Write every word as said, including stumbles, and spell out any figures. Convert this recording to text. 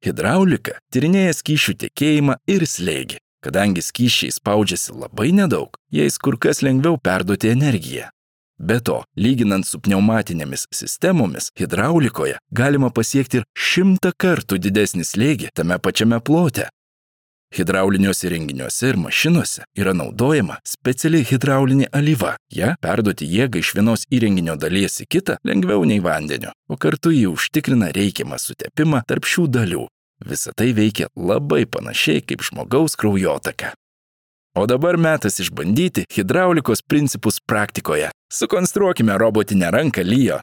Hidraulika tyrinėja skysčių tekėjimą ir slėgį. Kadangi skysčiai spaudžiasi labai nedaug, jais kur kas lengviau perduoti energiją. Be to, lyginant su pneumatinėmis sistemomis, hidraulikoje galima pasiekti ir šimtą kartų didesnį slėgį tame pačiame plote. Hidrauliniuose įrenginiuose ir mašinose yra naudojama speciali hidraulinė alyva. Ja perduoti jėgą iš vienos įrenginio dalies į kitą lengviau nei vandeniu, o kartu jį užtikrina reikiamą sutepimą tarp šių dalių. Visa tai veikia labai panašiai kaip žmogaus kraujotaka. O dabar metas išbandyti hidraulikos principus praktikoje. Sukonstruokime robotinę ranką Leo.